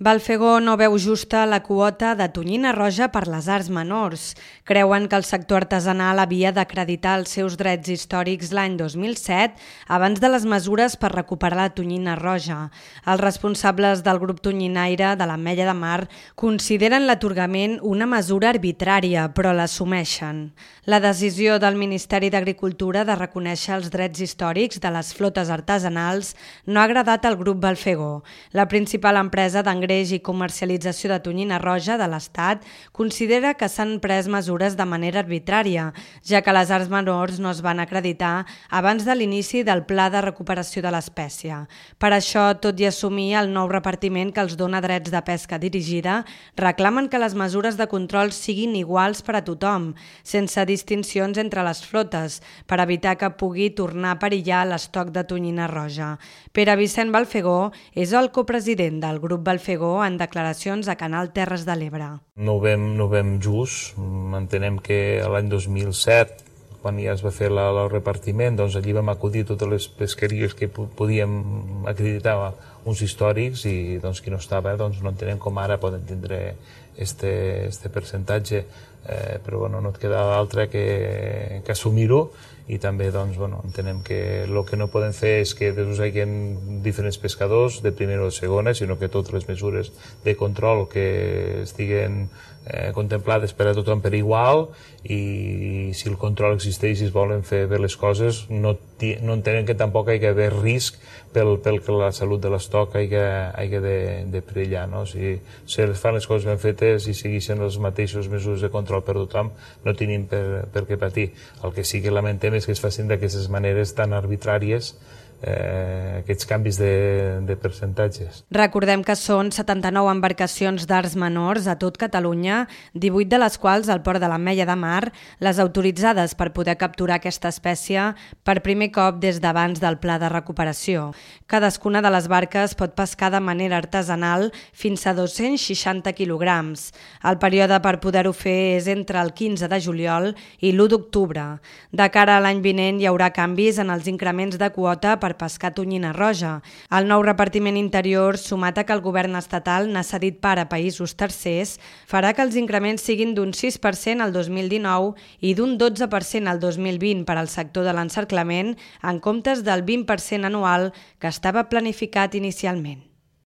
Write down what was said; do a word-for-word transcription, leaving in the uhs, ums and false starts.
Balfegó no veu justa la quota de tonyina roja per les arts menors. Creuen que el sector artesanal havia d'acreditar els seus drets històrics l'any dos mil set abans de les mesures per recuperar la tonyina roja. Els responsables del grup tonyinaire de l'Ametlla de Mar consideren l'atorgament una mesura arbitrària, però l'assumeixen. La decisió del Ministeri d'Agricultura de reconèixer els drets històrics de les flotes artesanals no ha agradat al grup Balfegó. La principal empresa d'engreix i comercialització de tonyina roja de l'Estat considera que s'han pres mesures de manera arbitrària, ja que les arts menors no es van acreditar abans de l'inici del pla de recuperació de l'espècie. Per això, tot i assumir el nou repartiment que els dona drets de pesca dirigida, reclamen que les mesures de control siguin iguals per a tothom, sense distincions entre les flotes, per evitar que pugui tornar a perillar l'estoc de tonyina roja. Pere Vicent Balfegó és el copresident del grup Balfegó en declaracions a Canal Terres de l'Ebre. No ho veiem, no ho veiem just. Entenem que l'any dos mil set, quan ja es va fer la, el repartiment, doncs allí vam acudir totes les pesqueries que podíem acreditar uns històrics i doncs, qui no estava, doncs, no entenem com ara poden tindre este, este percentatge, eh, però bueno, no et queda d'altre que, que assumir-ho i també doncs, bueno, entenem que el que no podem fer és que hi hagi diferents pescadors de primera o de segona, sinó que totes les mesures de control que estiguen eh, contemplades per a tothom per igual i si el control existeix i es volen fer bé les coses, no, no entenem que tampoc hi ha d'haver risc pel, pel que la salut de l'estoc hagi, hagi de, de perillar. No? Si, si es fan les coses ben fetes i segueixen les mateixes mesures de control per tothom, no tenim per, per què patir. El que sí que lamentem és que es facin d'aquestes maneres tan arbitràries Eh, aquests canvis de, de percentatges. Recordem que són setanta-nou embarcacions d'arts menors a tot Catalunya, divuit de les quals al port de l'Ametlla de Mar, les autoritzades per poder capturar aquesta espècie per primer cop des d'abans del pla de recuperació. Cadascuna de les barques pot pescar de manera artesanal fins a dos-cents seixanta quilograms. El període per poder-ho fer és entre el quinze de juliol i l'u d'octubre. De cara a l'any vinent hi haurà canvis en els increments de quota per pescar tonyina roja. El nou repartiment interior, sumat a que el govern estatal n'ha cedit part a països tercers, farà que els increments siguin d'un sis per cent al dos mil dinou i d'un dotze per cent al dos mil vint per al sector de l'encerclament, en comptes del vint per cent anual que estava planificat inicialment.